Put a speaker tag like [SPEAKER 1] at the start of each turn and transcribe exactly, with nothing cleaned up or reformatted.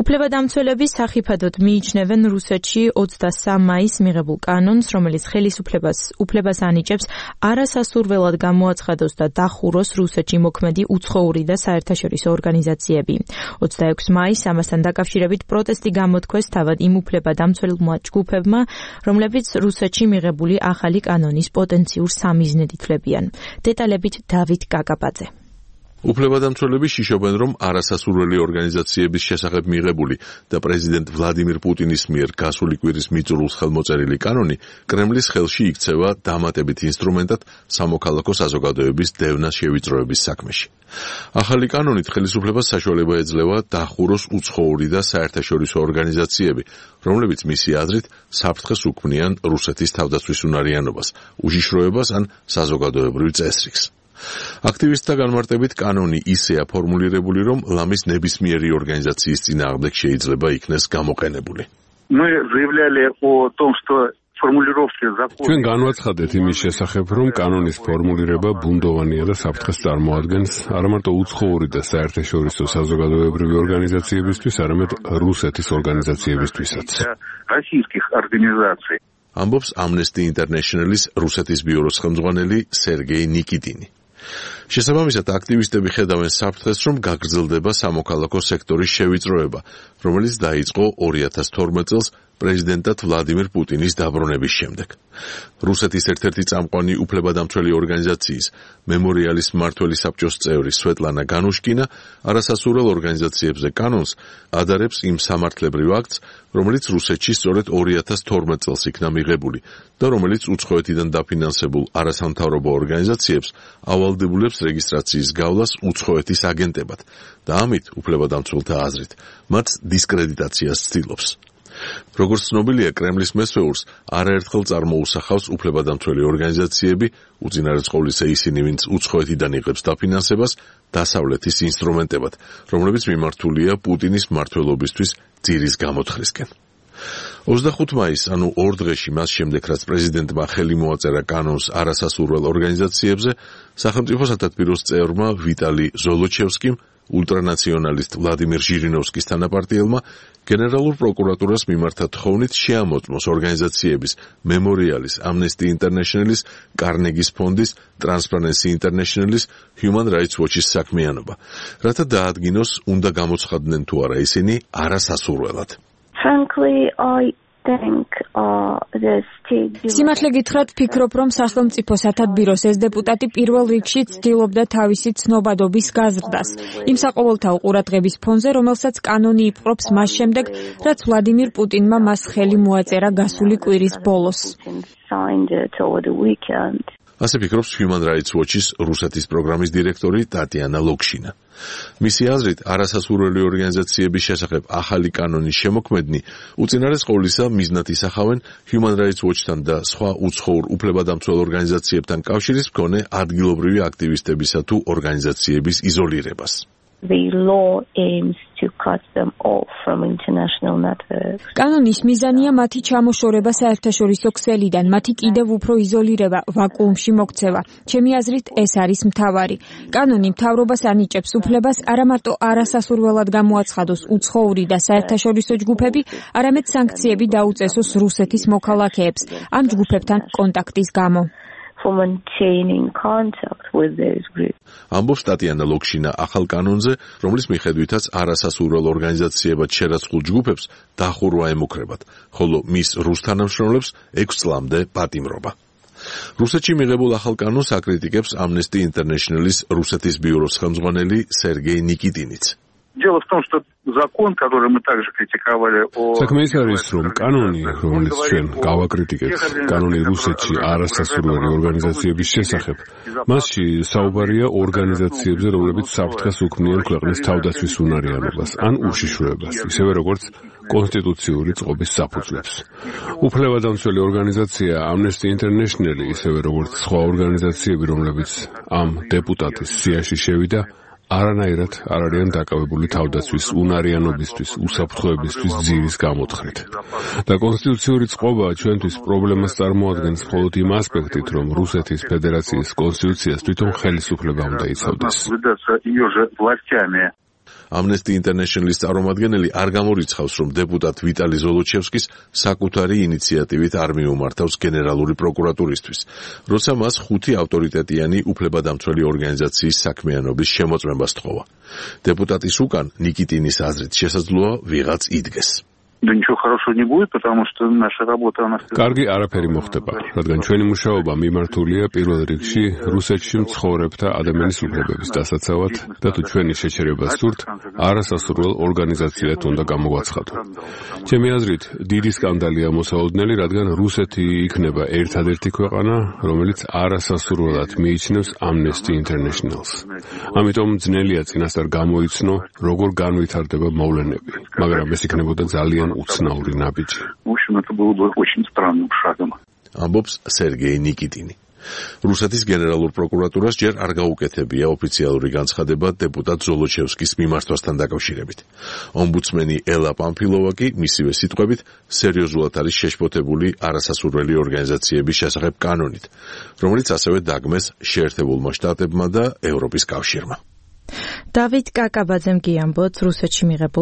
[SPEAKER 1] უფლებადამცველები სახიფათოდ მიიჩნევენ რუსეთში ოცდასამ მაისს მიღებულ კანონს, რომელიც ხელისუფლებას უფლებას ანიჭებს არასასურველად გამოაცხადოს და დახუროს რუსეთში მოქმედი უცხოური და საერთაშორისო ორგანიზაციები. ოცდაექვსი მაისს ამასთან დაკავშირებით პროტესტი გამოთქვეს თავად იმ უფლებადამცველმა ჯგუფებმა, რომლებიც რუსეთში მიღებული ახალი კანონის პოტენციურ სამიზნედ ითვლებიან. დეტალებით დავით კაკაბაძე.
[SPEAKER 2] უფლებადამცველები შიშობენ, რომ არასასურველი ორგანიზაციების შესახებ მიღებული და პრეზიდენტ ვლადიმირ პუტინის მიერ გასული კვირის მიწურულს ხელმოწერილი კანონი კრემლის ხელში იქცევა დამატებით ინსტრუმენტად სამოქალაქო საზოგადოების დევნას შევიწროების საქმეში. ახალი კანონით ხელისუფლებას საშუალება ეძლევა დახუროს უცხოური და საერთაშორისო ორგანიზაციები, რომლებიც მისი აზრით საფრთხეს უქმნიან რუსეთის თავდაცვის უნარიანობას, უშიშროებას ან საზოგადოებრივ წესრიგს. აქტივისტთა განმარტებით კანონი ისეა ფორმულირებული, რომ ლამის ნებისმიერი ორგანიზაციის წინააღმდეგ შეიძლება იქნეს გამოყენებული.
[SPEAKER 3] ჩვენ განვაცხადეთ იმის შესახებ, რომ კანონის ფორმულირება ბუნდოვანია და საფრთხეს წარმოადგენს არა მარტო უცხოური და საერთაშორისო საზოგადოებრივი ორგანიზაციებისთვის, არამედ რუსეთის ორგანიზაციებისთვისაც.
[SPEAKER 2] ამბობს Amnesty International-ის რუსეთის ბიუროს ხელმძღვანელი სერგეი ნიკიტინი. შესაბამისად, აქტივისტები ხედავენ საფრთხეს, რომ გაგრძელდება სამოქალაქო სექტორის შევიწროება, რომელიც დაიწყო ორი ათას თორმეტ წელს პრეზიდენტად ვლადიმირ პუტინის დაბრუნების შემდეგ. რუსეთის ერთ-ერთი წამყვანი უფლებადამცველი ორგანიზაციის მემორიალის მმართველი საბჭოს წევრი სვეტლანა განუშკინა არასასურველ ორგანიზაციებზე კანონს ადარებს იმ სამართლებრივ აქტს, რომელიც რუსეთში სწორედ ორი ათას თორმეტ წელს იქნა მიღებული და რომელიც უცხოეთიდან დაფინანსებულ არასამთავრობო ორგანიზაციებს ავალდებულებს რეგისტრაციის გავლას უცხოეთის აგენტებად და ამით უფლებადამცველთა აზრით მათ დისკრედიტაციას ცდილობს. როგორც ცნობილია, კრემლის მესვეურს არაერთხელ წარმოუსახავს უფლებადამცველი ორგანიზაციები, უწინარესყოვლისა ისინი, ვინც უცხოეთიდან იღებს დაფინანსებას, დასავლეთის ინსტრუმენტებად, რომლებიც მიმართულია პუტინის მმართველობისთვის ძირის გამოთხრისკენ. ოცდახუთი მაისს, ანუ ორ დღეში მას შემდეგ, რაც პრეზიდენტმა ხელი მოაწერა კანონს არასასურველ ორგანიზაციებზე, სახელმწიფო სათათბიროს წევრმა ვიტალი ზოლოჩევსკიმ, ულტრანაციონალისტ ვლადიმირ ჟირინოვსკის თანაპარტიელმა გენერალურ პროკურატურას მიმართა თხოვნით შეამოწმოს ორგანიზაციების მემორიალის, Amnesty International-ის, კარნეგის ფონდის, Transparency International-ის, Human Rights Watch-ის საქმიანობა, რათა დაადგინოს, უნდა გამოცხადდნენ თუ არა ისინი არასასურველად.
[SPEAKER 4] Frankly, I think uh, the state
[SPEAKER 1] სიმართლე გითხრათ, ვფიქრობ, რომ სახელმწიფო სათათბიროს ეს დეპუტატი პირველ რიგში ცდილობდა თავისი ცნობადობის გაზრდას იმ საყოველთაო ყურადღების ფონზე, რომელსაც კანონი იპყრობს მას შემდეგ, რაც ვლადიმირ პუტინმა მას ხელი მოაწერა გასული კვირის ბოლოს.
[SPEAKER 2] ასე ფიქრობს Human Rights Watch-ის რუსეთის პროგრამის დირექტორი ტატიანა ლოქშინა. მისი აზრით, არასასურველი ორგანიზაციების შესახებ ახალი კანონის შემოქმედნი უწინარეს ყოვლისა მიზნად ისახავენ Human Rights Watch-თან და სხვა უცხოურ უფლებადამცველ ორგანიზაციებთან კავშირის მქონე ადგილობრივი აქტივისტებისა თუ ორგანიზაციების იზოლირებას.
[SPEAKER 4] The law aims to cut them off from international networks.
[SPEAKER 1] კანონის მიზანია მათი ჩამოშორება საერთაშორისო ქსელიდან, მათი კიდევ უფრო იზოლირება, ვაკუუმში მოქცევა. ჩემი აზრით, ეს არის მთავარი. კანონი მთავრობას ანიჭებს უფლებას არა მარტო არასასურველად გამოაცხადოს უცხოური და საერთაშორისო ჯგუფები, არამედ სანქციები დაუწესოს რუსეთის მოქალაქეებს ამ ჯგუფებთან კონტაქტის გამო.
[SPEAKER 4] For maintaining contact with those groups.
[SPEAKER 2] ამბობს ტატიანა ლოქშინა ახალ კანონზე, რომლის მიხედვითაც არასასურველ ორგანიზაციებად შერაცხულ ჯგუფებს დახურვა ემუქრებათ, ხოლო მის რუს თანამშრომლებს ექვს წლამდე პატიმრობა. რუსეთში მიღებულ ახალ კანონს აკრიტიკებს Amnesty International-ის რუსეთის ბიუროს ხელმძღვანელი სერგეი ნიკიტინიც.
[SPEAKER 5] Дело в том, что закон, который мы также критиковали, о...
[SPEAKER 3] საქმე ის არის, რომ კანონი, რომელიც ჩვენ გავაკრიტიკებთ, კანონი რუსეთში არასასურველი ორგანიზაციების შესახებ, მასში საუბარია ორგანიზაციებზე, რომლებიც საფრთხეს უქმნიან ქვეყნის თავდაცვის უნარიანობას ან უშიშროებას, ისევე როგორც კონსტიტუციური წყობის საფუძვლებს. უფლებადამცველი ორგანიზაცია Amnesty International, ისევე როგორც სხვა ორგანიზაციები, რომლებიც ამ დეპუტატის სიაში შევიდა, არანაირად არ არიან დაკავებული თავდაცვის უნარიანობისთვის, უსაფრთხოებისთვის ძირის გამოთხრით. და კონსტიტუციური წყობა ჩვენთვის პრობლემას წარმოადგენს მხოლოდ იმ ასპექტით, რომ რუსეთის ფედერაციის კონსტიტუციას თვითონ ხელისუფლება უნდა იცავდეს.
[SPEAKER 2] Amnesty International-ის წარმომადგენელი არ გამორიცხავს, რომ დეპუტატ ვიტალი ზოლოჩევსკის საკუთარი ინიციატივით არ მიუმართავს გენერალური პროკურატურისთვის, როცა მას ხუთი ავტორიტეტიანი უფლებადამცველი ორგანიზაციის საქმიანობის შემოწმება სთხოვა. Დეპუტატის უკან ნიკიტინის აზრით შესაძლოა ვიღაც იდგეს.
[SPEAKER 5] Да ничего хорошего не будет, потому что наша работа она
[SPEAKER 3] კარგი არაფერი მოხდება, რადგან ჩვენი მუშაობა მიმართულია პირველ რიგში რუსეთში მცხოვრებთა ადამიანის უფლებების დასაცავად და თუ ჩვენი შეჩერება სურთ, არასასურველ ორგანიზაციად უნდა გამოგვაცხადო. ჩემი აზრით, დიდი სკანდალია მოსაოდნელი, რადგან რუსეთი იქნება ერთადერთი ქვეყანა, რომელიც არასასურველად მიიჩნევს Amnesty International-ს. ამიტომ ძნელია წინასწარ გამოიცნო, როგორ განვითარდება მოვლენები, მაგრამ ეს იქნებოდა ძალიან უცნაური ნაბიჯი.
[SPEAKER 5] В общем, это было бы очень странным шагом.
[SPEAKER 2] ამბობს სერგეი ნიკიტინი. რუსეთის გენერალურ პროკურატურას ჯერ არ გაუკეთებია ოფიციალური განცხადება დეპუტატ ზოლოჩევსკის მიმართვასთან დაკავშირებით. ომბუდსმენი ელა პამფილოვა კი მისივე სიტყვებით სერიოზულად არის შეშფოთებული არასასურველი ორგანიზაციების შესახებ კანონით, რომელიც ასევე დაგმეს შეერთებულმა შტატებმა და ევროპის კავშირმა.
[SPEAKER 1] დავით კაკაბაძემ კი ამბობს რუსეთში მიღებულ